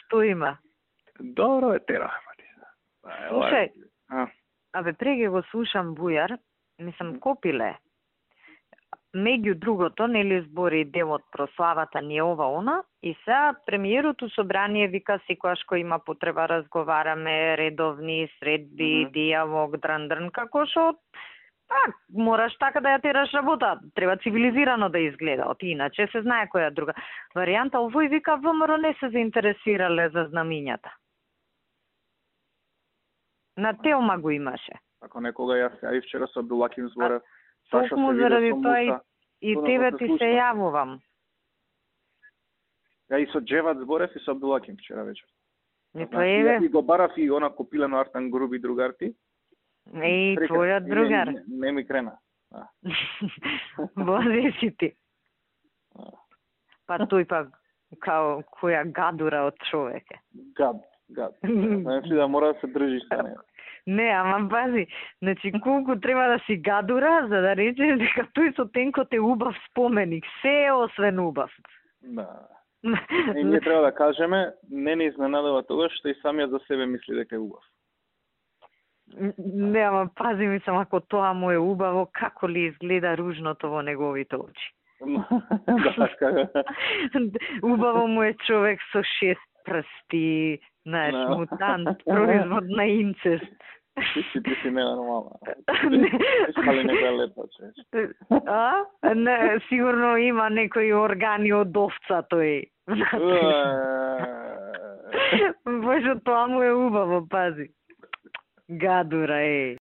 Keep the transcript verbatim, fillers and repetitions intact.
што има? Добро е тера. Слушај, А, абе преге го слушам Бујар, мислам Копиле. Меѓу другото, нели збори дел од прославата ни ова она, и сега премиерот у собрание вика секогаш кој има потреба разговараме, редовни средби, mm -hmm. диалог, дрн-дрн, како што пак мораш така да ја тераш работа, треба цивилизирано да изгледа, оти иначе се знае која друга варијанта. Овој вика ВМРО не се заинтересирале за знамињата. На Телма го имаше. Ако некога јас ја и вчера со Абдулаким зборев, Токму заради тоа и, и тебе ти се јавувам. Ја и со Джеват зборев и со Абдулаким вчера вечер. И тоа е. И го барав и она Копилено Артан Груби другарти. Еј, твојот другар. Не, не, не ми крена. Бозе си ти. Па тој па као која гадура од човек е. Гад, гад. Значи да мора да се држиш со неја. Не, ама пази, значи колку треба да си гадура за да речеш дека тој со тенкот е убав споменик, се е освен убав. Да. И ние треба да кажеме, не не изненадува тоа што и самиот за себе мисли дека е убав. Не, ама пази ми сам, ако тоа му е убаво, како ли изгледа ружното во неговите очи. Убаво му е човек со шест прсти, знаеш, no. Мутант, производ на инцест. Ти си, ти си ненормална. Искали некоја лепа, чеш. А? Не, сигурно има некои органи од овца тој. Боже, тоа му е убаво, пази. Гадура, е.